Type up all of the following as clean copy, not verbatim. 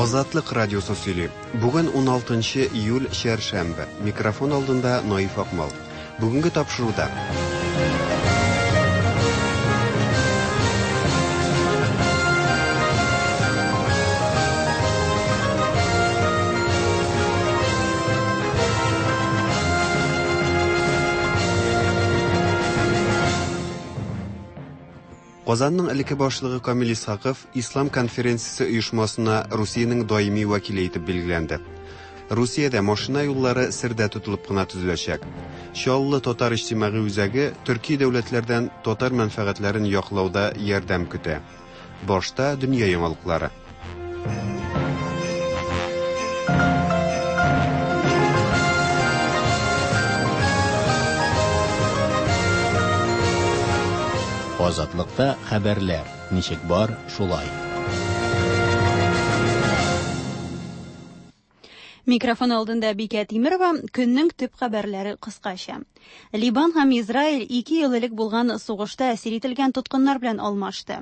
Азатлык радиосы сөйли. Бүген 16 июль чәршәмбе. Микрофон алдында Наиф Акмал. Бүгенге тапшыруда Казанның элекке башлыгы Камил Исхаков Ислам конференциясе оешмасына Русиянең даими вәкиле итеп билгеләнде. Русиядә машина юллары сердә тотылып кына төзеләчәк. Чаллы татар иҗтимагый үзәге төрки дәүләтләрдән татар мәнфәгатьләрен яклауда ярдәм көтә. Башта дөнья яңалыклары. Азатлыкта хәбәрләр ничек бар, шулай. Микрофон алдында Бикә Тимирова, көннең төп хәбәрләре кыскача. Либан һәм Израиль 2 ел элек булган сугышта әсир ителгән тоткыннар белән алмашты.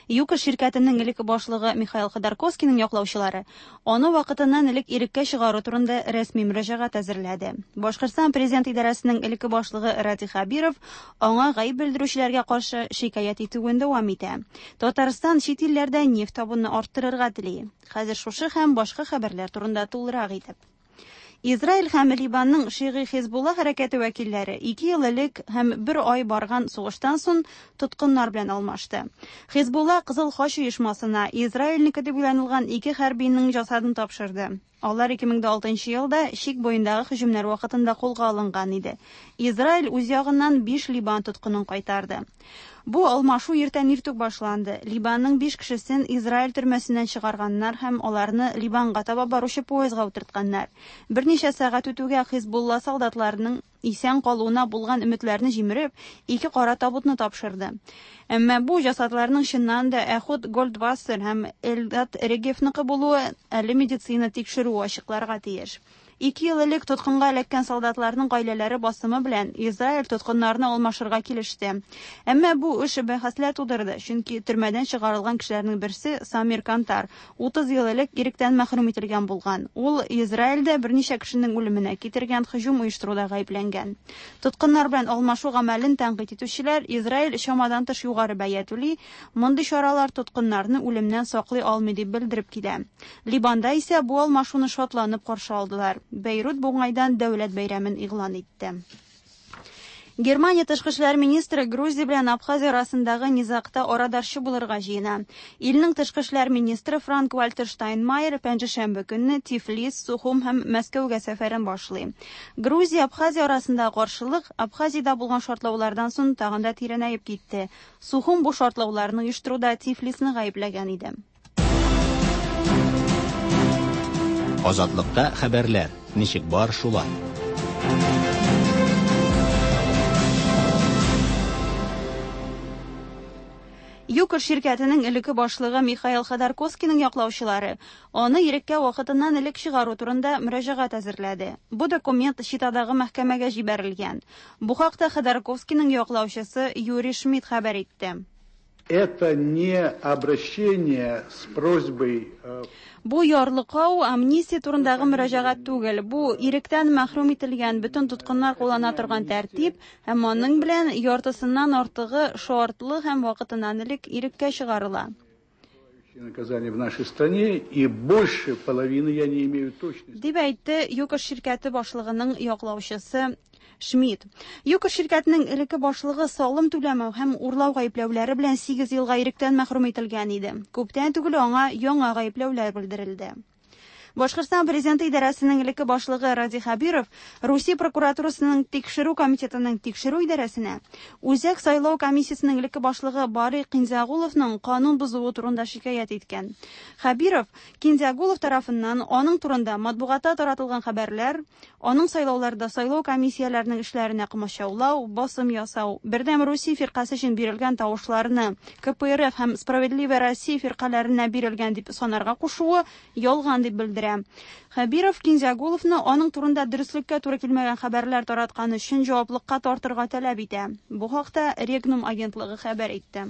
ЮКОС ширкәтенең элек башлыгы Михаил Ходорковскийның яклаучылары аны вакытыннан элек иреккә чыгару турында рәсми мөрәҗәгать әзерләде. Башкортстан президент идарәсенең элекке башлыгы Радий Хәбиров аңа гаеп белдерүчеләргә каршы шикаять итүен дәвам итә. Татарстан чит илләрдә нефть табуны арттырырга тели. Хәзер шушы һәм башка хәбәрләр турында тулырак итеп. Израиль һәм Либанның шигый Хизбулла хәрәкәте вәкилләре 2 ел элек һәм 1 ай барган сугыштан соң тоткыннар белән алмашты. Хизбулла Кызыл Хач оешмасына Израильнеке дип уйланылган 2 хәрбинең җасадын тапшырды. Алар 2006 елда чик буендагы һөҗүмнәр вакытында кулга алынган иде. Израиль үз ягыннан 5 Либан тоткынын кайтарды. Бу алмашу иртән иртүк башланды. Либанның 5 кешесен Израиль төрмәсеннән чыгарганнар һәм аларны Либанга таба баручы поездга утыртканнар. Берничә сәгать үтүгә Хизбулла солдатларының исән калуына булган өметләрне җимереп, 2 кара табутны тапшырды. Әмма бу җасадларның чыннан да Эхуд Гольдвассер һәм Элдат Регевныкы булуы әле медицина тикшерүе ачыкларга тиеш. 2 ел элек тоткынга эләккән солдатларның гаиләләре басымы белән Израиль тоткыннарны алмашырга килеште. Әмма бу эш бәхәсләр тудырды, чөнки төрмәдән чыгарылган кешеләрнең берсе Самир Кантар 30 ел элек иректән мәхрүм ителгән булган. Ул Израильдә берничә кешенең үлеменә китергән һөҗүм оештыруда гаепләнгән. Тоткыннар белән алмашу гамәлен тәнкыйть итүчеләр Израиль чамадан тыш югары бәя түли, мондый чаралар тоткыннарны үлемнән саклый алмый дип белдереп килә. Либанда исә бу алмашуны шатланып каршы алдылар. Бейрут бу уңайдан дәүләт бәйрәмен игълан итте. Германия тышкы эшләр министры Грузия белән Абхазия арасындагы низагта арадашчы булырга җыена. Илнең тышкы эшләр министры Франк-Вальтер Штайнмайер пәнҗешәмбе көнне Тифлис, Сухум һәм Мәскәүгә сәфәрен башлый. Грузия Абхазия арасындагы каршылык Абхазиядә булган шартлаулардан соң тагын да тирәнәеп китте. Сухум бу шартлауларны оештыруда Тифлисны гаепләгән иде. Азатлыкта хәбәрләр ничек бар, шулай. ЮКОС ширкәтенең элекке башлыгы Михаил Ходорковскийның яклаучылары аны иреккә вакытыннан элек чыгару турында мөрәҗәгать әзерләде. Бу документ Читадагы мәхкәмәгә җибәрелгән. Бу хакта Ходорковскийның яклаучысы Юрий Шмидт хәбәр итте. Это не обращение с просьбой, Бу ярлыкау амнистия турындагы мөрәҗәгать түгел. Бу иректән мәхрүм ителгән бөтен тоткыннар куллана торган тәртип һәм аның белән яртысыннан артыгы шартлы һәм вакытыннан элек иреккә чыгарыла. Наказание в нашей стране, и больше половины я не имею точности. Дип әйтте ЮКОС ширкәте башлыгының яклаучысы Шмидт. ЮКОС ширкәтенең элекке башлыгы салым түләмәү һәм урлау гаепләүләре белән 8 елга иректән мәхрүм ителгән иде. Күптән түгел аңа яңа гаепләүләр белдерелде. Башкортстан президенты идарәсенең элекке башлыгы Радий Хәбиров Русия прокуратурасының тикшерү комитетының тикшерү идарәсенә Үзәк сайлау комиссиясенең элекке башлыгы Барый Кинзягуловның канун бозуы турында шикаять иткән. Хәбиров Кинзягулов тарафыннан аның турында матбугатта таратылган хәбәрләр, аның сайлауларда сайлау комиссияләренең эшләренә комачаулау, басым ясау, Бердәм Русия фиркасе өчен бирелгән тавышларны КПРФ һәм Справедливая Россия фиркаләренә бирелгән дип санарга кушуы ялган дип белдерә. Хәбиров Кинзягуловны аның турында дөреслеккә туры килмәгән хәбәрләр тараткан өчен җаваплыкка тартырга таләп итә. Бу хакта Регнум агентлыгы хәбәр итте.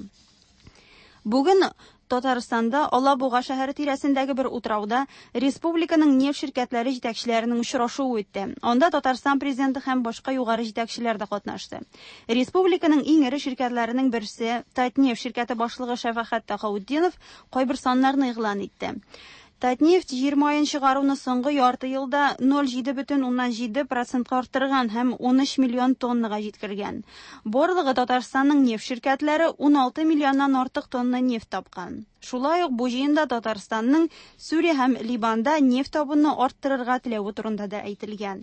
Бүген Татарстанда Алабуга шәһәре тирәсендәге бер утрауда республиканың нефть ширкәтләре җитәкчеләренең очрашуы үтте. Анда Татарстан президенты һәм башка югары җитәкчеләр дә катнашты. Республиканың иң эре ширкәтләренең берсе Татнефть ширкәте башлыгы Шәфәхәт Тәхаутдинов кайбер саннарны игълан итте. Татнефть җир маен чыгаруны соңгы ярты елда 0,7 процентка арттырган һәм 13 миллион тоннага җиткергән. Барлыгы Татарстанның нефть ширкәтләре 16 миллионнан артык тонна нефть тапкан. Шулай ук бу җыенда Татарстанның Сүрия һәм Ливанда нефть табуны арттырырга теләве турында да әйтелгән.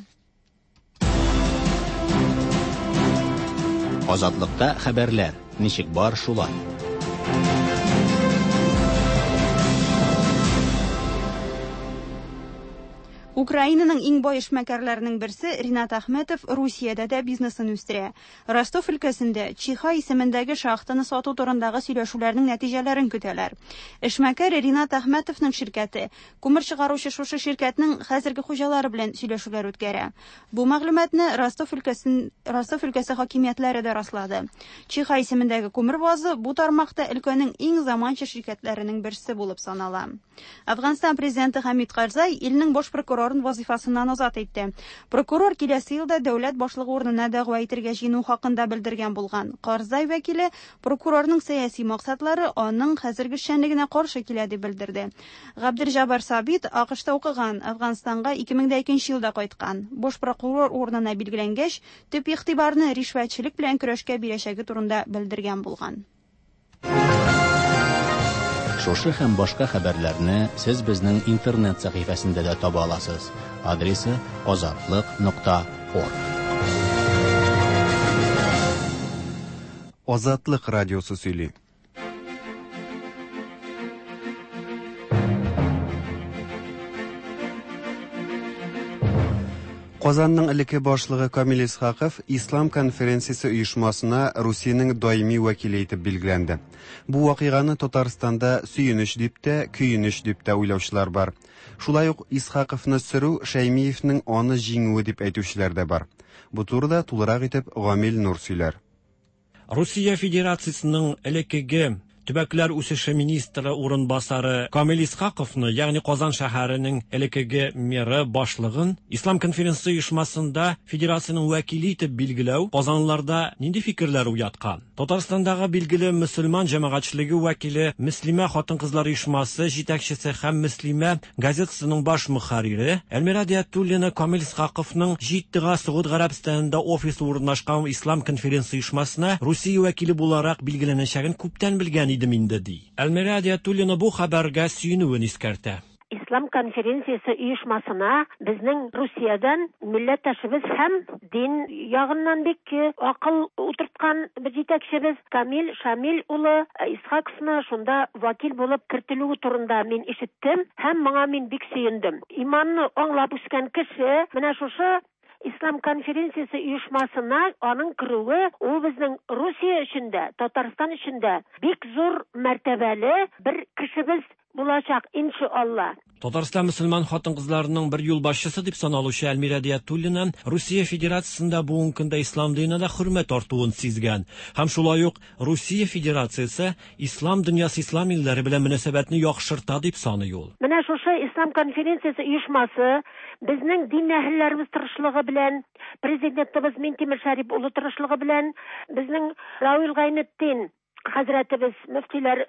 Азатлыкта хәбәрләр ничек бар шулай. Украинаның иң бай эшмәкәрләренең берсе Ринат Әхмәтов Русиядә дә бизнесын үстерә. Ростов өлкәсендә Чиха исемендәге шахтаны сату турындагы сөйләшүләрнең нәтиҗәләрен көтәләр. Эшмәкәр Ринат Әхмәтовның ширкәте күмер чыгаручы шушы ширкәтнең хәзерге хуҗалары белән сөйләшүләр үткәрә. Бу мәгълүматны Ростов өлкәсе хакимиятләре дә раслады. Чиха исемендәге күмер базы бу тармакта өлкәнең иң заманча ширкәтләренең берсе булып санала. Әфганстан президенты Хамид Карзай илнең баш прокурорын вазифасыннан азат итте. Прокурор киләсе елда дәүләт башлыгы урынына дәгъва итергә җыену хакында белдергән булган. Карзай вәкиле прокурорның сәяси максатлары аның хәзерге эшчәнлегенә каршы килә дип белдерде. Габделҗаббар Сабит АКШта укыган, Әфганстанга 2002 елда кайткан. Баш прокурор урынына билгеләнгәч, төп игътибарны ришвәтчелек белән көрәшкә бирәчәге турында белдергән булган. Шушы һәм башка хәбәрләрне сез безнең интернет сәхифәсендә дә таба аласыз. Адресы azatliq.org. Азатлык радиосы сөйли. Казанның элекке башлыгы Камил Исхаков Ислам конференциясе оешмасына Русиянең даими вәкиле итеп билгеләнде. Бу вакыйганы Татарстанда сөенеч дип тә, көенеч дип тә уйлаучылар бар. Шулай ук Исхаковны сөрү Шәймиевнең аны җиңүе дип әйтүчеләр дә бар. Бу турыда тулырак итеп Гамил Нур сөйләр. Русия Федерациясының элеккеге Төбәкләр үсеше министры урынбасары Камил Исхаковны, ягъни Казан шәһәренең элеккеге мэры башлыгын Ислам конференция оешмасында федерациянең вәкиле итеп билгеләү казанлыларда нинди фикерләр уяткан? Татарстандагы билгеле мөселман җәмәгатьчелеге вәкиле, Мөслимә хатын-кызлар оешмасы җитәкчесе һәм Мөслимә газетасының баш мөхәррире Әлмира Диятуллина Камил Исхаковның Җиддага Согуд Гарәбстанында офисы урнашкан Ислам конференция оешмасына Русия вәкиле буларак билгеләнәчәген күптән белгән идем инде, ди. Әлмира Диятуллина бу хәбәргә сөенүен искәртә. Ислам конференциясе оешмасына безнең Русиядән милләттәшебез һәм дин ягыннан бик акыл утырткан бер җитәкчебез Камил Шамил улы Исхаковны шунда вәкил булып кертелүе турында мин ишеттем һәм моңа мин бик сөендем. Иманны аңлап үскән кеше менә шушы Ислам конференциясе оешмасына аның керүе ул безнең Русия өчен дә, Татарстан өчен дә бик зур мәртәбәле бер кешебез булачак, иншалла. Татарстан мөселман хатын-кызларының бер юлбашчысы дип саналучы Әлмира Диятуллина Русия Федерациясендә бүгенге көндә ислам диненә дә хөрмәт артуын сизгән. Һәм шулай ук Русия Федерациясе ислам дөньясы ислам илләре белән мөнәсәбәтне яхшырта дип саный ул. Менә шушы ислам конференциясе оешмасы безнең дин әһелләребез тырышлыгы белән, президентыбыз Минтимер Шәрип улы тырышлыгы белән, безнең Равил Гайнетдин хәзрәтебез мөфтиләр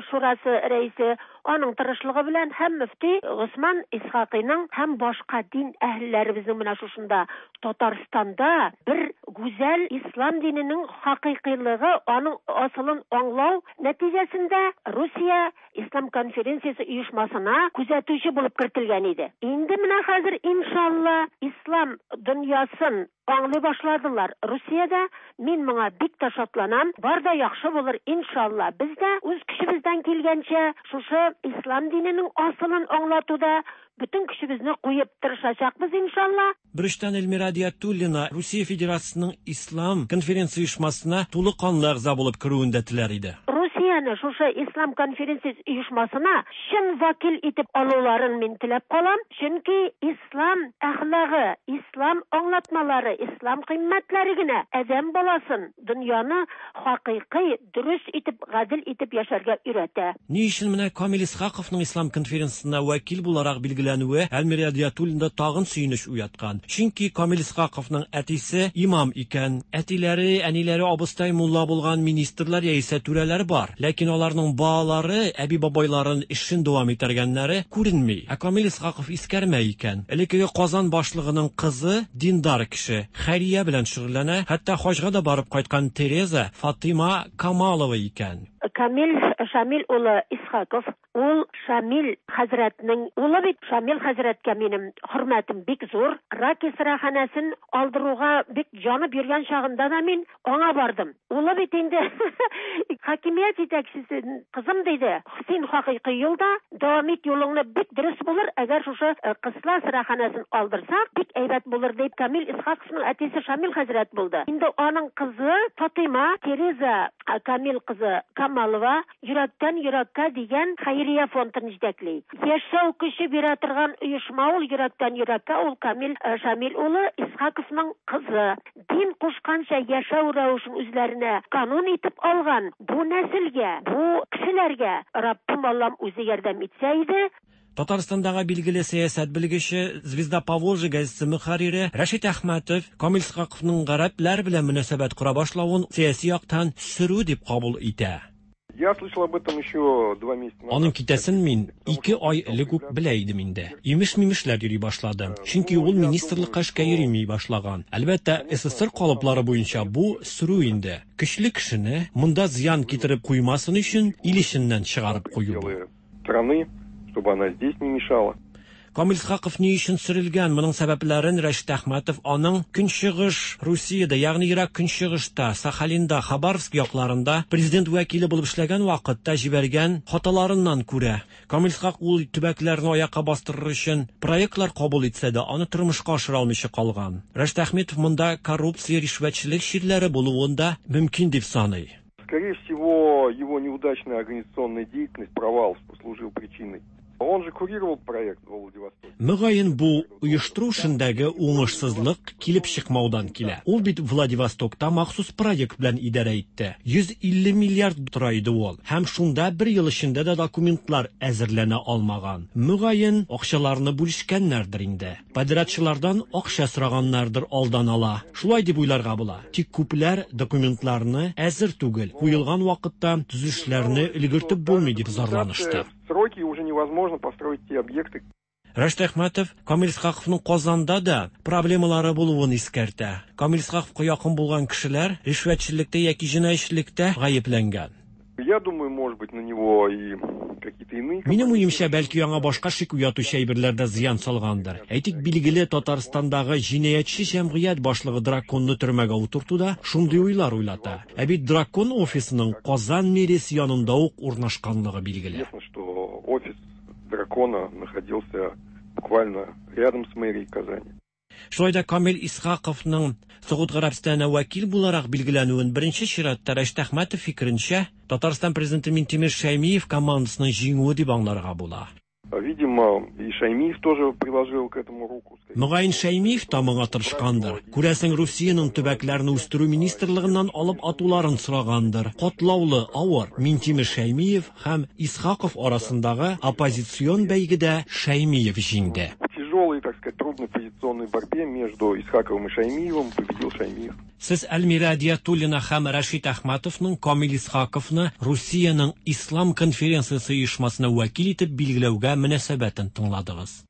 шурасы рәисе аның тырышлыгы белән һәм мөфти Госман Исхакыйның һәм башка дин әһелләребезнең менә шушында Татарстанда бер гүзәл ислам диненең хакыйкыйлыгы, аның асылын аңлау нәтиҗәсендә Русия Ислам конференциясе оешмасына күзәтүче булып кертелгән иде. Инде менә хәзер иншалла ислам дөньясын аңлый башладылар. Русиядә мин моңа бик тә шатланам. Бар да яхшы булыр иншалла. Без дә үз көчебездән килгәнчә шушы ислам диненең асылын аңлатуда бөтен көчебезне куеп тырышачакбыз иншалла. Беречтән Эльмира Диятуллина Русия Федерациясының Ислам конференция оешмасына тулы канлы әгъза булып керүен дә теләр иде. Русия Русияне шушы Ислам конференциясе оешмасына чын вәкил итеп алуларын мин теләп калам, чөнки ислам әхлагы, ислам аңлатмалары, ислам кыйммәтләре генә адәм баласын дөньяны хакыйкый, дөрес итеп, гадел итеп яшәргә өйрәтә. Ни өчен менә Камил Исхаковның Ислам конференциясенә вәкил буларак билгеләнүе Әлмирә Әдиятуллинда тагын сөенеч уяткан? Чөнки Камил Исхаковның әтисе имам икән. Әтиләре, әниләре абыстай мулла булган министрлар яисә түрәләр бар. Ләкин аларның балалары, әби-бабайларын эшен дәвам итәргәннәре күренми. Ә Камил Исхаков искәрмә икән. Элеккеге Казан башлыгының кызы диндар кеше, хәйрия белән шөгыльләнә, хәтта хаҗга да барып кайткан Тереза Фатыйма Камалова икән. Камил Шамил улы Исхаков, ул Шамил хәзрәтнең улы бит. Шамил хәзрәткә минем хөрмәтем бик зур. Раки сыраханәсен алдыруга бик җанып йөргән чагында да мин аңа бардым. Улы бит инде хакимият җитәкчесе, кызым диде, син хакыйкый юлда, дәвам ит юлыңны, бик дөрес булыр, әгәр шушы Кысла сыраханәсен алдырсак, бик әйбәт булыр дип Камил Исхаковның әтисе Шамил хәзрәт булды. Инде аның кызы Фатыйма Тереза Камил кызы Камалова Йөрәктән йөрәккә дигән хәйрия фондын җитәкли. Яшәү көче бирә торган оешма ул Йөрәктән йөрәккә, ул Камил Шамил улы Исхаковның кызы. Дин кушканча яшәү рәвешен үзләренә канун итеп алган бу нәселгә, бу кешеләргә Раббым Аллам үзе ярдәм итсә иде. Татарстандагы билгеле сәясәт белгече, Звезда Поволжья газетасы мөхәррире Рәшит Әхмәтов Камил Исхаковның гарәпләр белән мөнәсәбәт кора башлавын сәяси яктан сөрү дип кабул итә. Я слышал об этом еще 2 месяца назад. Аның китәсен мин 2 ай элек үк белә идем инде. Имеш-мимешләр йөри башлады. Чөнки ул министрлыкка эшкә йөреми башлаган. Әлбәттә, СССР калыплары буенча бу сөрү инде. Көчле кешене монда зыян китереп куймасын өчен ил эченнән чыгарып кую бу. Страны, чтобы она здесь не мешала. Камил Исхаков ни өчен сөрелгән? Моның сәбәпләрен Рәшит Әхмәтов аның Көнчыгыш Русиядә, ягъни Ерак Көнчыгышта, Сахалинда, Хабаровск якларында президент вәкиле булып эшләгән вакытта җибәргән хаталарыннан күрә. Камил Исхак ул төбәкләрне аякка бастырыр өчен проектлар кабул итсә дә, аны тормышка ашыра алмыйча калган. Рәшит Әхмәтов монда коррупция, ришвәтчелек чирләре булуын да мөмкин дип саный. Скорее всего, его неудачная организационная деятельность, провал послужил причиной. Он же курировал проект во Владивостоке. Мөгаен бу оештыру эшендәге уңышсызлык килеп чыкмаудан килә. Ул бит Владивостокта махсус проект белән идарә итте. 150 миллиард тора иде ул. Һәм шунда бер ел эчендә дә документлар әзерләнә алмаган. Мөгаен акчаларны бүлешкәннәрдер инде. Подрядчылардан акча сораганнардыр алдан ала. Шулай дип уйларга була. Тик күпләр документларны әзер түгел, куелган вакытта төзелешләрне өлгертеп булмый дип зарланышты. Сроки уже невозможно построить те объекты. Рәшит Әхмәтов Камил Исхаковның Казанда да проблемалары булуын искәртә. Камил Исхаковка якын булган кешеләр ришвәтчелектә яки җинаятьчелектә гаепләнгән. Я думаю, может быть, на него и какие-то иные Минем уемча, бәлки яңа башка шик уятучы әйберләр дә зыян салгандыр. Әйтик, билгеле Татарстандагы җинаятьче җәмгыять башлыгы Драконны төрмәгә утырту да шундый уйлар уйлата. Ә бит Дракон офисының Казан мэриясе янында ук урнашканлыгы билгеле. Известно, что офис Дракона находился буквально рядом с мэрией Казани. Шулай да Камил Исхаковның Согуд Гарәбстанына вәкил буларак билгеләнүен беренче чиратта Рәшит Әхмәтов фикеренчә, Татарстан президенты Минтимер Шәймиев командасының җиңүе дип аңларга була. Видимо, и Шаймиев тоже приложил к этому руку. Мөгаен Шәймиев та моңа тырышкандыр. Күрәсең, Русиянең төбәкләрне үстерү министрлыгыннан алып атуларын сорагандыр. Катлаулы, авыр Минтимер Шәймиев һәм Исхаков арасындагы оппозицион бәйгедә Шәймиев җиңде. В тяжелой, так сказать, трудной позиционной борьбе между Исхаковым и Шаймиевым победил Шаймиев. Сез Әлмирә Әдиятуллина һәм Рәшит Әхмәтовның Камил Исхаковны Русиянең Ислам конференциясе оешмасына вәкил итеп билгеләүгә мөнәсәбәтен тыңладыгыз.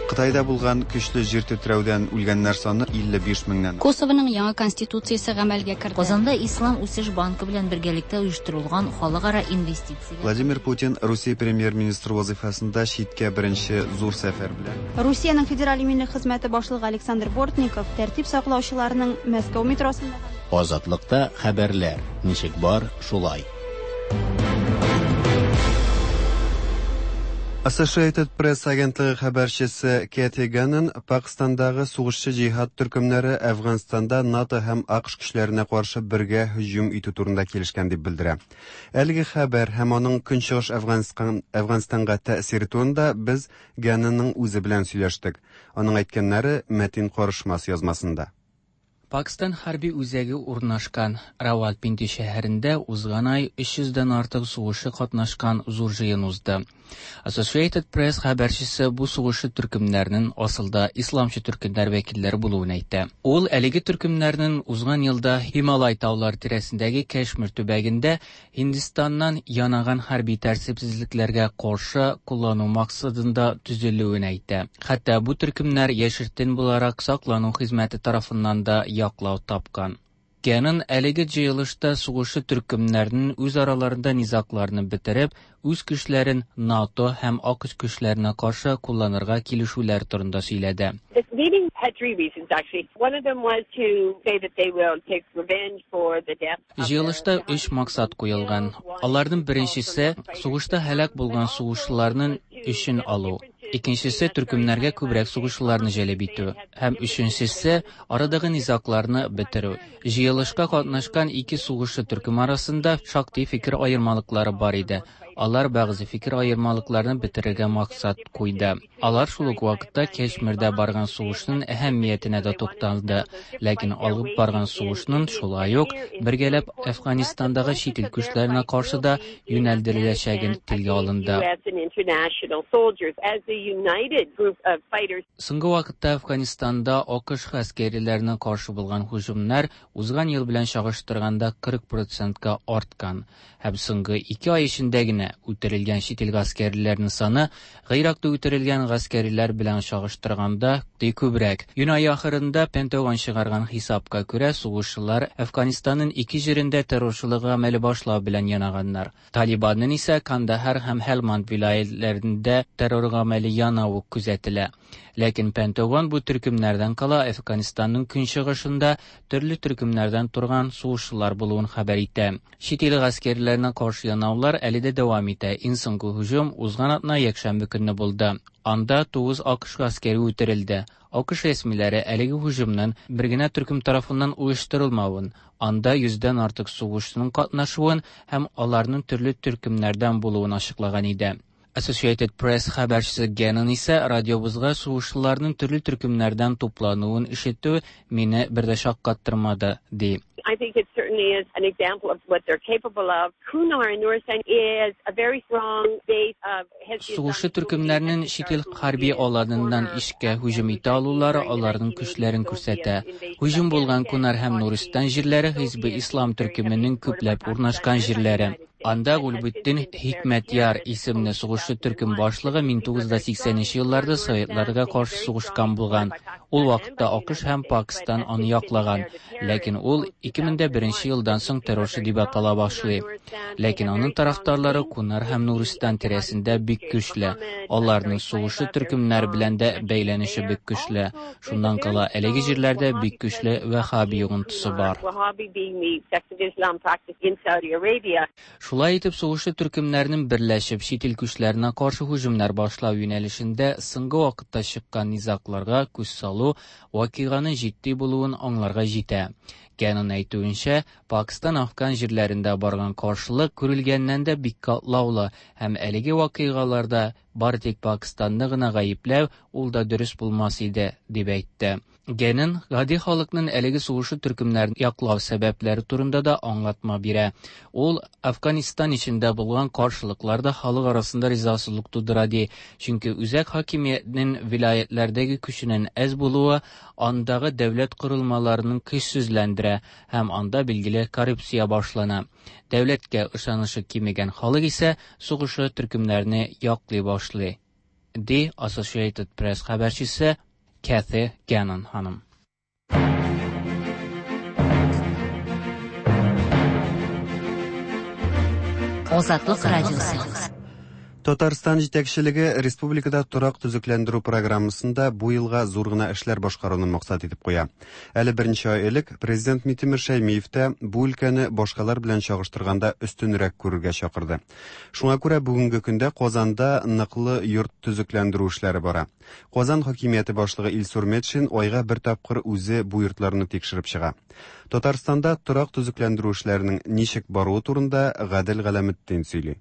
Кытайда булган көчле җир тетрәүдән үлгәннәр саны 55 меңнән. Косованың яңа конституциясе гамәлгә керде. Казанда Ислам үсеш банкы белән бергәлектә оештырылган халыкара инвестицияләр. Владимир Путин Русия премьер-министры вазифасында читкә беренче зур сәфәр белән. Русиянең федераль иминлек хезмәте башлыгы Александр Бортников тәртип саклаучыларның Мәскәү метросында Азатлыкта хәбәрләр ничек бар, шулай. Associated Press агентлыгы хәбәрчесе Кэти Ганнон Пакстандагы сугышчы җиһад төркемнәре Әфганстанда НАТО һәм АКШ көчләренә каршы бергә һөҗүм итү турында килешкән дип белдерә. Әлеге хәбәр һәм аның Көнчыгыш Әфганстан, Әфганстанга тәэсире турында без Ганнонның үзе белән сөйләштек. Аның әйткәннәре Мәтин Карышмас язмасында. Пакстан хәрби үзәге урнашкан Равалпинди шәһәрендә узган ай 300 дән артык сугышчы катнашкан зур җыен узды. Associated Press хәбәрчесе бу сугышчы төркемнәрнең асылда исламчы төркемнәр вәкилләре булуын әйтә. Ул әлеге төркемнәрнең узган елда Һималай таулары тирәсендәге Кәшмир төбәгендә Һиндстаннан янаган хәрби тәртипсезлекләргә каршы куллану максатында төзелүен әйтә. Хәтта бу төркемнәр яшертен буларак саклану хезмәте тарафыннан да яклау тапкан. Генон әлеге җыелышта сугышчы төркемнәрнең үз араларында низагларны бетереп, үз көчләрен НАТО һәм АКШ көчләренә каршы кулланырга килешүләр турында сөйләде. This meeting had three reasons actually. One of them was to say that they will take revenge for the death Җыелышта өч максат куелган. Аларның беренчесе сугышта һәлак булган сугышчыларның үчен алу. Икенчесе төркемнәргә күбрәк сугышчыларны җәлеп итү һәм өченчесе арадагы низагларны бетерү. Җыелышка катнашкан ике сугышчы төркем арасында шактый фикер аермалыклары бар иде. Алар бәгъзе фикер аермалыкларны бетерергә максат куйды. Алар шул ук вакытта Кәшмирдә барган сугышның әһәмиятенә дә тукталды. Ләкин алып барган сугышның шулай ук бергәләп Әфганистандагы чит ил көчләренә каршы да юнәлдереләчәген телгә алынды. Соңгы вакытта Әфганистанда АКШ гаскәрләренә каршы булган һөҗүмнәр узган ел белән чагыштырганда 40 процентка арткан. Һәм соңгы 2 ай эчендә генә үтерелгән чит ил гаскәрләренең саны Гыйракта үтерелгән гаскәрләр белән чагыштырганда ди күбрәк. Июнь ае ахырында Пентагон чыгарган хисапка күрә, сугышчылар Әфганстанның ике җирендә террорчылык гамәле башлау белән янаганнар. Талибанның исә Кандахар һәм Һелманд вилаятьләрендә террор гамәле янавы күзәтелә. Ләкин Пентагон бу төркемнәрдән кала Әфганстанның көнчыгышында төрле төркемнәрдән торган сугышчылар булуын хәбәр итә. Чит ил гаскәрләренә каршы янаулар әле дә дәвам итә. Иң соңгы һөҗүм узган атна якшәмбе көнне булды. Анда 9 АКШ гаскәре үтерелде. АКШ рәсмиләре әлеге һөҗүмнең бер генә төркем тарафыннан оештырылмавын, анда 100дән артык сугышчының катнашуын һәм аларның төрле төркемнәрдән булуын ачыклаган иде. Associated Press хәбәрчесе Геннон исә радиобызга сугышчыларның төрле төркемнәрдән туплануын ишетү мине бер дә шаккаттырмады, ди. I think it certainly is an example of what they're capable of. Kunar in Nuristan is a very strong base of Сугышчы төркемнәрнең чит ил хәрби аланыннан ишкә һөҗүм итә алулары аларның көчләрен күрсәтә. Һөҗүм булган Кунар һәм Нуристан җирләре Хизбе Ислам төркеменең күпләп урнашкан җирләре. Анда Гульбетдин Хикмәтяр исемле сугышчы төркем башлыгы 1980 елларда советларга каршы сугышкан булган. Ул вакытта АКШ һәм Пакистан аны яклаган. Ләкин ул 2001 елдан соң террорчы дип атала башлый. Ләкин аның тарафдарлары Кунар һәм Нуристан тирәсендә бик көчле. Аларның сугышчы төркемнәр белән дә бәйләнеше бик көчле. Шуннан кала әлеге җирләрдә бик көчле вахаби йогынтысы бар. Шулай итеп, сугышчы төркемнәрнең берләшеп чит ил көчләренә каршы һөҗүмнәр башлау юнәлешендә соңгы вакытта чыккан низагларга күз салу вакыйганың җитди булуын аңларга җитә. Генон әйтүенчә, Пакистан Афган җирләрендә барган каршылык күрелгәннән дә бик катлаулы һәм әлеге вакыйгаларда бары тик Пакистанны гына гаепләү ул да дөрес булмас иде, дип әйтте. Генон гади халыкның әлеге сугышы төркемнәрен яклау сәбәпләре турында да аңлатма бирә. Ул Афганистан эчендә булган каршылыклар да халык арасында ризасызлык тудыра ди. Чөнки үзәк хакимиятнең вилаятләрдәге көченең әз булуы андагы дәүләт корылмаларының көчсезләндерә һәм анда билгеле коррупция башлана. Дәүләткә ышанышы кимегән халык исә сугышы төркемнәрне яклый башлый. Ди Associated Press хәбәрчесе Kathy Gannon ханым. Азатлык радиосы. Татарстан җитәкчелеге республикада торак төзекләндерү программасында бу елга зур гына эшләр башкаруны максат итеп куя. Әле берничә ай элек президент Минтимер Шәймиев тә бу өлкәне башкалар белән чагыштырганда өстенрәк күрергә чакырды. Шуңа күрә бүгенге көндә Казанда ныклы йорт төзекләндерү эшләре бара. Казан хакимияте башлыгы Илсур Метшин айга бер тапкыр үзе бу йортларны тикшереп чыга. Татарстанда торак төзекләндерү эшләренең ничек баруы турында Гадел Галәметдин сөйли.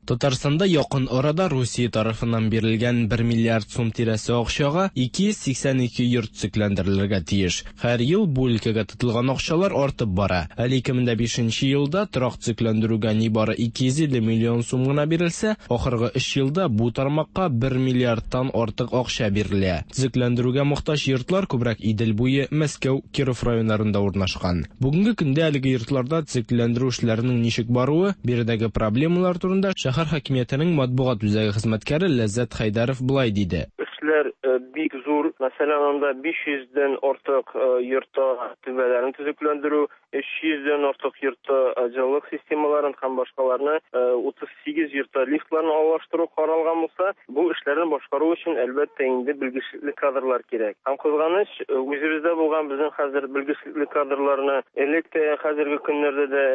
Татарстанда якын арада Русия тарафыннан бирелгән 1 миллиард сум тирәсе акчага 282 йорт төзекләндерелергә тиеш. Һәр ел бу өлкәгә тотылган акчалар артып бара. Әле 2005 елда торак төзекләндерүгә нибары 250 миллион сум гына бирелсә, ахыргы өч елда бу тармакка 1 миллиардтан артык акча бирелә. Төзекләндерүгә мохтаҗ йортлар күбрәк Идел буе, Мәскәү, Киров районнарында урнашкан. Бүгенге көндә әлеге йортларда төзекләндерү эшләренең ничек баруы, биредәге проблемалар турында шәһәр хакимиятенең матбугат үзәге хезмәткәре Ләззәт Хәйдәров болай диде. Эшләр бик зур. Мәсәлән, анда 500 дән артык йортта түбәләрен төзекләндерү, 300 дән артык йортта җылылык системаларын һәм башкаларны, 38 йортта лифтларны алыштыру каралган булса, бу эшләрне башкару өчен, әлбәттә инде, белгечлекле кадрлар кирәк. Һәм кызганыч, үзебездә булган безнең хәзер белгечлекле кадрларны элек тә, хәзерге көннәрдә дә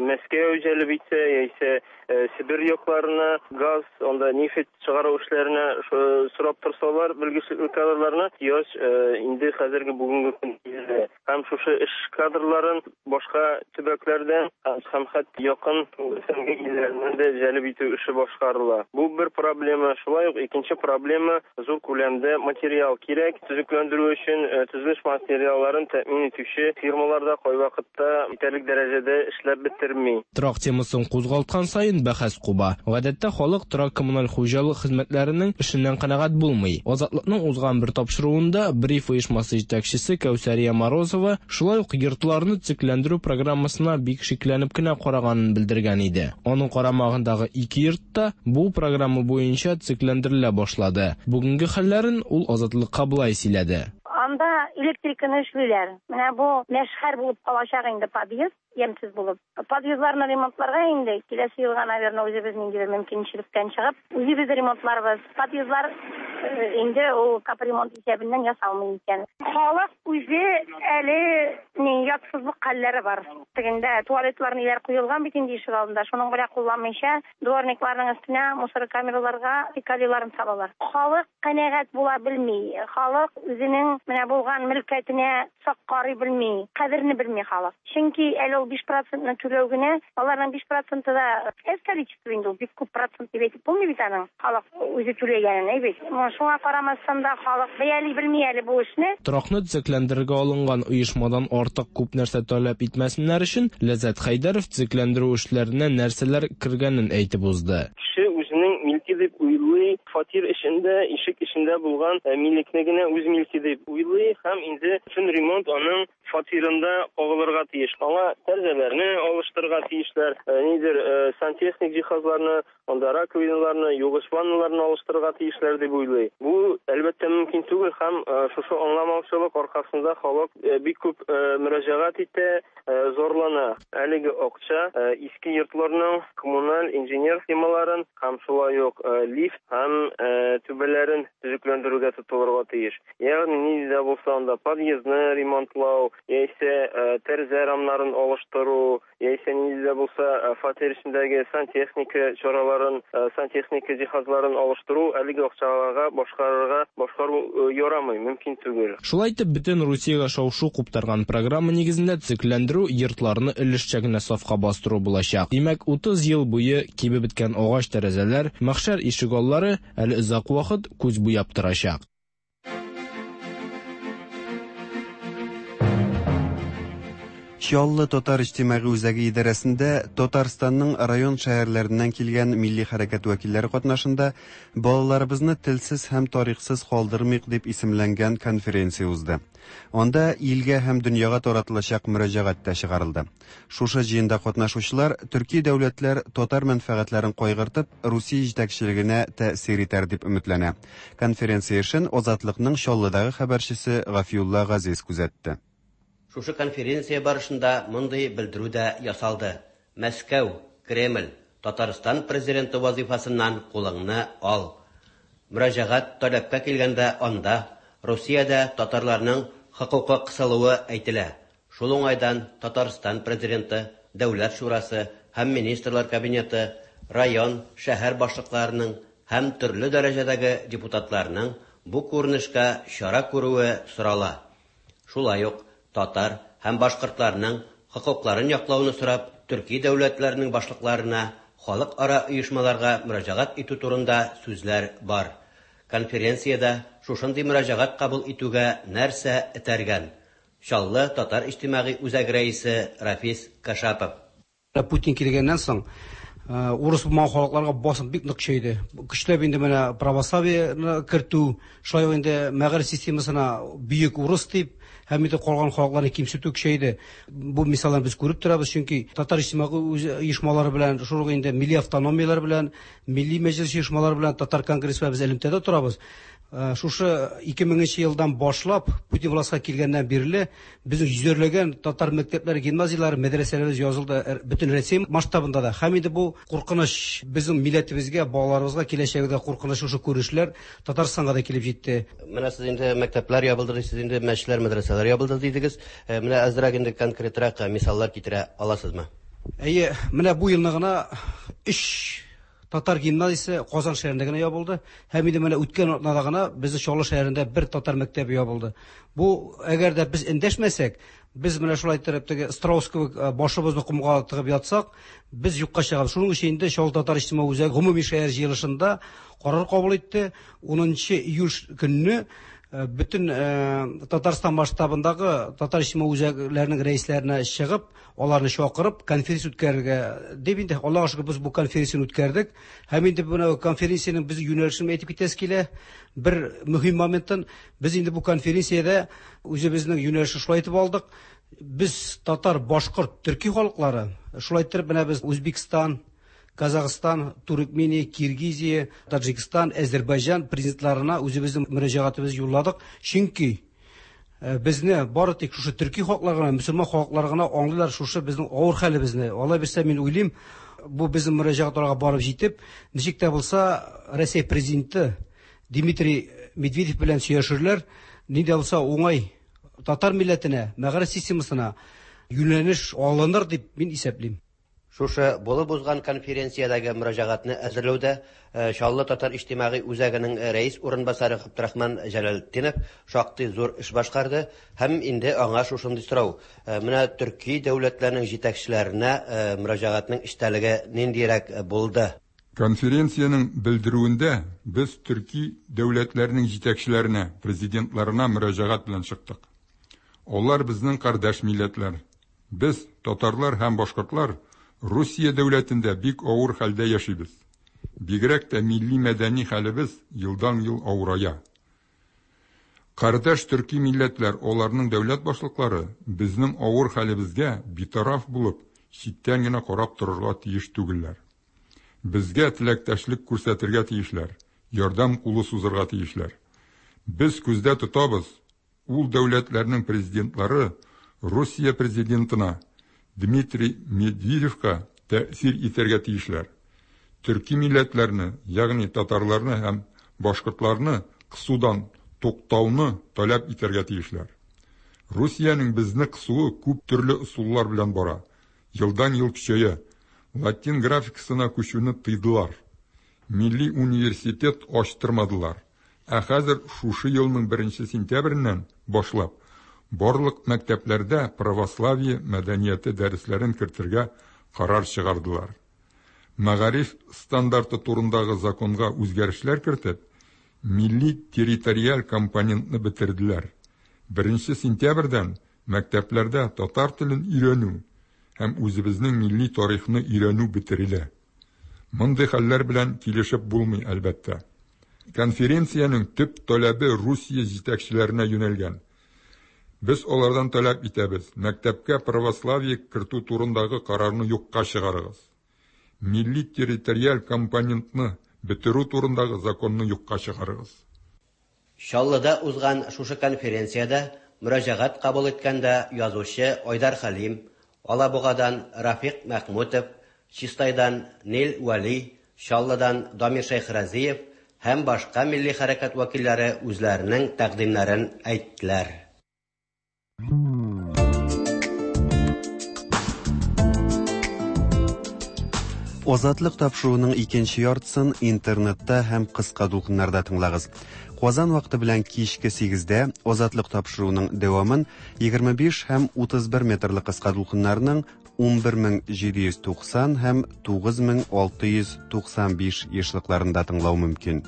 Мәскәү җәлеп итсә, яисә Себер якларына газ, анда нефть чыгару эшләренә сорап торсалар, белгечлекле кадрларны яз инде хәзерге бүгенге көндә. Һәм шушы эш кадрларын башка төбәкләрдән һәм хәтта якын СНГ илләреннән дә җәлеп итү эше башкарыла. Бу бер проблема. Шулай ук икенче проблема, зур күләмдә материал кирәк. Төзекләндерү өчен төзелеш материалларын тәэмин итүче фирмалар да кайвакытта җитәрлек дәрәҗәдә эшләп бетерми. Торак темасын кузгалткан саен бәхәс куба. Гадәттә, халык торак-коммуналь хуҗалык хезмәтләренең эшеннән канәгать булмый. Азатлыкның узган бер тапшыруында Бриф оешмасы җитәкчесе Кәүсәрия Морозова шулай ук йортларны төзекләндерү программасына бик шикләнеп кенә караганын белдергән иде. Аның карамагындагы ике йорт та бу программа буенча төзекләндерелә башлады. Бүгенге хәлләрен ул Азатлыкка болай сөйләде. Анда электриканы эшлиләр. Менә бу мәшхәр булып калачак инде подъезд, ямьсез булып. Подъездларны ремонтларга инде киләсе елга, наверное, үзебез ниндидер мөмкинчелектән чыгып, үзебез ремонтларбыз. Подъездлар инде ул капремонт исәбеннән ясалмый икән. Халык үзе әле ни ятсызлык хәлләре бар. Тегендә туалетлар ниләр куелган бит инде ишек алдында. Шуның белән кулланмыйча, дворникларның өстенә мусор камераларга фекалийларын салалар. Халык канәгать була белми. Халык үзенең менә булган мөлкәтенә сак карый белми, кадерне белми халык. Чөнки әле ул 5 процентны түләү генә, аларның 5 проценты да әз количество инде ул, бик күп процент дип әйтеп булмый бит аның, халык үзе түләгәнен, әй бит. Шуңа карамастан да халык бәяли белми әле бу эшне. Торакны төзекләндерергә алынган оешмадан артык күп нәрсә таләп итмәсеннәр өчен, Ләззәт Хәйдәров төзекләндерү эшләренә нәрсәләр кергәнен әйтеп узды. Кеше үзенең милке дип уйлый, фатир эчендә, ишек эчендә булган милекне генә үз милке дип уйлый һәм инде бөтен ремонт аның фатирында кагылырга тиеш. Аңа тәрәзәләрне алыштырырга тиешләр, ниндидер сантехник җиһазларны, анда раковиналарны, югыч ванналарны алыштырырга тиешләр дип уйлый. Бу, әлбәттә, мөмкин түгел һәм шушы аңламаучылык аркасында халык бик күп мөрәҗәгать итә, зарлана. Әлеге акча иске йортларның коммуналь инженер схемаларын һәм шулай ук лифт һәм түбәләрен төзекләндерүгә тотылырга тиеш. Ягъни нинди дә булса анда подъездны ремонтлау, яисә тәрәзә рамнарын алыштыру, яисә нинди дә булса фатир эчендәге сантехника чараларын, сантехника җиһазларын алыштыру әлеге акчаларга башкарырга башкару ярамый, мөмкин түгел. Шулай итеп, бөтен Русиягә шау-шу куптарган программа нигезендә төзекләндерү йортларны өлешчә генә сафка бастыру булачак. Димәк, 30 ел буе кибеп беткән агач тәрәзәләр, мәхшәр ишегаллары әле озак вакыт күз буяп торачак. Чаллы татар иҗтимагый үзәге идарәсендә Татарстанның район шәһәрләреннән килгән милли хәрәкәт вәкилләре катнашында Балаларыбызны телсез һәм тарихсыз калдырмыйк дип исемләнгән конференция узды. Анда илгә һәм дөньяга таратылачак мөрәҗәгать тә чыгарылды. Шушы җыенда катнашучылар төрки дәүләтләр татар мәнфәгатьләрен кайгыртып, Русия җитәкчелегенә тәэсир итәр дип өметләнә. Конференция эшен Азатлыкның Чаллыдагы хәбәрчесе Гафиулла Газиз күзәтте. Шушы конференция барышында мондый белдерү дә ясалды. Мәскәү, Кремль! Татарстан президенты вазыйфасыннан кулыңны ал. Мөрәҗәгать таләпкә килгәндә анда Русиядә татарларның хокукы кысылуы әйтелә. Шул уңайдан Татарстан президенты, Дәүләт шурасы һәм Министрлар кабинеты, район, шәһәр башлыкларының һәм төрле дәрәҗәдәге депутатларның бу күренешкә чара күрүе сорала. Шулай ук татар һәм башкортларның хокукларын яклауны сорап төрки дәүләтләрнең башлыкларына, халыкара оешмаларга мөрәҗәгать итү турында сүзләр бар. Конференциядә шушындый мөрәҗәгать кабул итүгә нәрсә этәргән? Чаллы татар иҗтимагый үзәге рәисе Рафис Кашапов. Путин килгәннән соң, урыс булмаган халыкларга басым бик нык көчәйде. Көчләп инде менә православиене кертү, шулай ук инде мәгариф системасына бөек урыс дип һәм инде калган халыкларны кимсетү көчәйде. Бу мисалларны без күреп торабыз, чөнки татар иҗтимагый оешмалары белән, шул ук инде милли автономияләр белән, милли мәҗлес оешмалары белән, татар конгрессы белән без элемтәдә торабыз. Шушы 2000 нче елдан башлап, Путин властька килгәннән бирле, безнең йөзәрләгән татар мәктәпләре, гимназияләре, мәдрәсәләребез язылды бөтен Россия масштабында да. Һәм инде бу куркыныч безнең милләтебезгә, балаларыбызга киләчәгендә куркыныч шушы күренешләр Татарстанга да килеп җитте. Менә сез инде мәктәпләр ябылды дисез, инде мәчетләр, мәдрәсәләр ябылды дидегез. Менә әзрәк инде конкретрак мисаллар китерә аласызмы? Әйе, менә бу елны гына өч Татар гимназиясе Казан шәһәрендә генә ябылды. Һәм инде менә үткән атнада гына безнең Чаллы шәһәрендә бер татар мәктәбе ябылды. Бу, әгәр дә без эндәшмәсәк, без менә шулай иттереп теге страус кебек башыбызны комга тыгып ятсак, без юкка чыгабыз. Шуның өчен инде Чаллы татар иҗтимагый үзәге гомуми шәһәр җыелышында карар кабул итте. Унынчы июль көнне бөтен Татарстан масштабындагы татар иҗтимагый үзәкләренең рәисләренә чыгып, Аларны чакырып, конференция үткәрергә дип инде, Аллага шөкер, без бу конференцияне үткәрдек. Һәм инде менә конференциянең без юнәлешен әйтеп китәсе килә. Бер мөһим моментын, без инде бу конференциядә үзебезнең юнәлешне шулай итеп алдык. Без татар, башкорт, төрки халыклары, шулай иттереп менә без Үзбекстан, Казахстан, Туркмения, Киргизия, Таджикстан, Әзербайҗан президентларына үзебезнең мөрәҗәгатебезне юлладык. Чөнки Безне бары тик шушы төрки халыклар гына, мөселман халыклары гына аңлыйлар шушы безнең авыр хәлебезне. Алай булса, мин уйлыйм, бу безнең мөрәҗәгать аларга барып җитеп, ничек тә булса Россия президенты Дмитрий Медведев белән сөйләшерләр, ни дә булса уңай татар милләтенә, мәгариф системасына юнәлеш алыныр дип мин исәплим. Шушы булып узган конференциядәге мөрәҗәгатьне әзерләүдә Чаллы татар иҗтимагый үзәгенең рәис урынбасары Габдрахман Җәләлетдинов шактый зур эш башкарды һәм инде аңа шушындый сорау, менә төрки дәүләтләрнең җитәкчеләренә мөрәҗәгатьнең эчтәлеге ниндирәк булды? Конференциянең белдерүендә без төрки дәүләтләрнең җитәкчеләренә, президентларына мөрәҗәгать белән чыктык. Алар безнең кардәш милләтләр. Без, татарлар һәм башкортлар, Русия дәүләтендә бик авыр хәлдә яшибез. Бигрәк тә милли-мәдәни хәлебез елдан-ел авырая. Кардәш төрки милләтләр, аларның дәүләт башлыклары безнең авыр хәлебезгә битараф булып, читтән генә карап торырга тиеш түгелләр. Безгә теләктәшлек күрсәтергә тиешләр, ярдәм кулы сузырга тиешләр. Без күздә тотабыз, Ул дәүләтләрнең президентлары Русия президентына Дмитрий Медведевка тәэсир итәргә тиешләр. Төрки милләтләрне, ягъни татарларны һәм башкортларны кысудан туктауны таләп итәргә тиешләр. Русиянең безне кысуы күп төрле ысуллар белән бара, елдан-ел көчәя. Латин графикасына күчүне тыйдылар. Милли университет ачтырмадылар. Ә хәзер шушы елның беренче сентябреннән башлап барлык мәктәпләрдә православие мәдәнияте дәресләрен кертергә карар чыгардылар. Мәгариф стандарты турындагы законга үзгәрешләр кертеп, милли территориаль компонентны бетерделәр. Беренче сентябрьдән мәктәпләрдә татар телен өйрәнү һәм үзебезнең милли тарихны өйрәнү бетерелә. Мондый хәлләр белән килешеп булмый, әлбәттә. Конференциянең төп таләбе Русия җитәкчеләренә юнәлгән. Без алардан таләп итәбез, мәктәпкә православие кертү турындагы карарны юкка чыгарыгыз. Милли территориаль компонентны бетерү турындагы законны юкка чыгарыгыз. Чаллыда узган шушы конференциядә мөрәҗәгать кабул иткәндә язучы Айдар Хәлим, Алабугадан Рафик Мәхмүтов, Чистайдан Нил Вәли, Чаллыдан Дамир Шәйхразиев һәм башка милли хәрәкәт вәкилләре үзләренең тәкъдимнәрен әйттеләр. Азатлык тапшыруының икенче яртысын интернетта һәм кыска дулкыннарда тыңлагыз. Казан вакыты белән кичке 8-дә Азатлык тапшыруының дәвамын 25 һәм 31 метрлы кыска дулкыннарның 11790 һәм 9695 ешлыкларында тыңлау мөмкин.